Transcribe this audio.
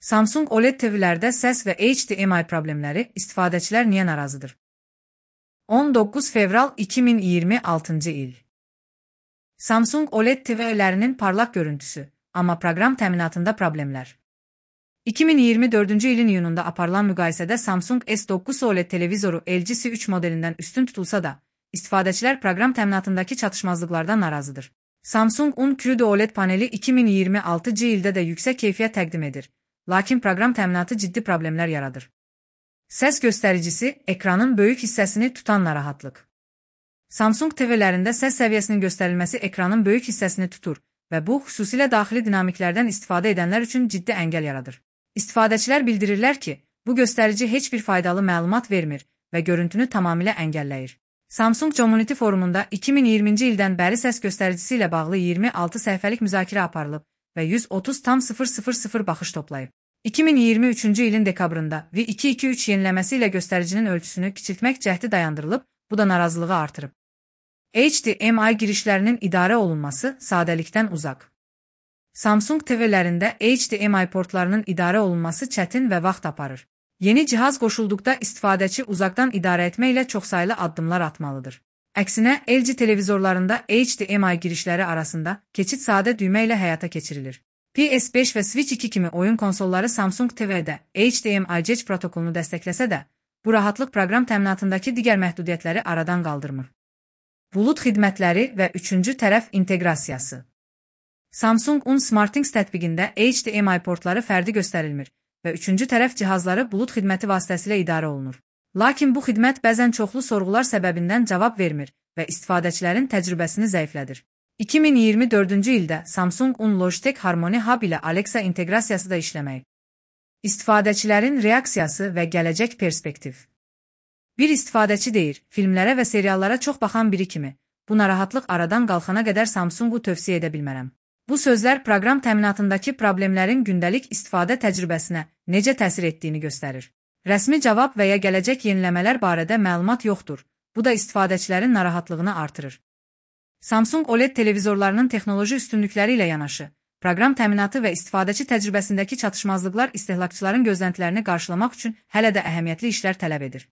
Samsung OLED TV-lərdə səs və HDMI problemləri, istifadəçilər niyə narazıdır? 19 fevral 2026-cı il. Samsung OLED TV-lərinin parlaq görüntüsü, amma proqram təminatında problemlər. 2024-cü ilin iyununda aparılan müqayisədə Samsung S9 OLED televizoru LG C3 modelindən üstün tutulsa da, istifadəçilər proqram təminatındakı çatışmazlıqlardan narazıdır. Samsung Un-Qrudo OLED paneli 2026-cı ildə də yüksək keyfiyyət təqdim edir, lakin proqram təminatı ciddi problemlər yaradır. Səs göstəricisi, ekranın böyük hissəsini tutan narahatlıq. Samsung TV-lərində səs səviyyəsinin göstərilməsi ekranın böyük hissəsini tutur və bu, xüsusilə daxili dinamiklərdən istifadə edənlər üçün ciddi əngəl yaradır. İstifadəçilər bildirirlər ki, bu göstərici heç bir faydalı məlumat vermir və görüntünü tamamilə əngəlləyir. Samsung Community forumunda 2020-ci ildən bəri səs göstəricisi ilə bağlı 26 səhifəlik müzakirə aparılıb və 130,000 baxış toplayıb. 2023-cü ilin dekabrında V223 yeniləməsi ilə göstəricinin ölçüsünü kiçiltmək cəhdi dayandırılıb, bu da narazılığı artırıb. HDMI girişlərinin idarə olunması sadəlikdən uzaq. Samsung TV-lərində HDMI portlarının idarə olunması çətin və vaxt aparır. Yeni cihaz qoşulduqda istifadəçi uzaqdan idarə etməklə çoxsaylı addımlar atmalıdır. Əksinə, LG televizorlarında HDMI girişləri arasında keçid sadə düymə ilə həyata keçirilir. PS5 və Switch 2 kimi oyun konsolları Samsung TV-də HDMI Cech protokolunu dəstəkləsə də, bu rahatlıq proqram təminatındakı digər məhdudiyyətləri aradan qaldırmır. Bulut xidmətləri və üçüncü tərəf inteqrasiyası. Samsung Un SmartThings tətbiqində HDMI portları fərdi göstərilmir və üçüncü tərəf cihazları bulut xidməti vasitəsilə idarə olunur. Lakin bu xidmət bəzən çoxlu sorğular səbəbindən cavab vermir və istifadəçilərin təcrübəsini zəiflədir. 2024-cü ildə Samsung Un Logitech Harmony Hub ilə Alexa inteqrasiyası da işləməyib. İstifadəçilərin reaksiyası və gələcək perspektiv. Bir istifadəçi deyir, filmlərə və seriallara çox baxan biri kimi, bu narahatlıq aradan qalxana qədər Samsungu tövsiyə edə bilmərəm. Bu sözlər proqram təminatındakı problemlərin gündəlik istifadə təcrübəsinə necə təsir etdiyini göstərir. Rəsmi cavab və ya gələcək yeniləmələr barədə məlumat yoxdur, bu da istifadəçilərin narahatlığını artırır. Samsung OLED televizorlarının texnoloji üstünlükləri ilə yanaşı, proqram təminatı və istifadəçi təcrübəsindəki çatışmazlıqlar istehlakçıların gözləntilərini qarşılamaq üçün hələ də əhəmiyyətli işlər tələb edir.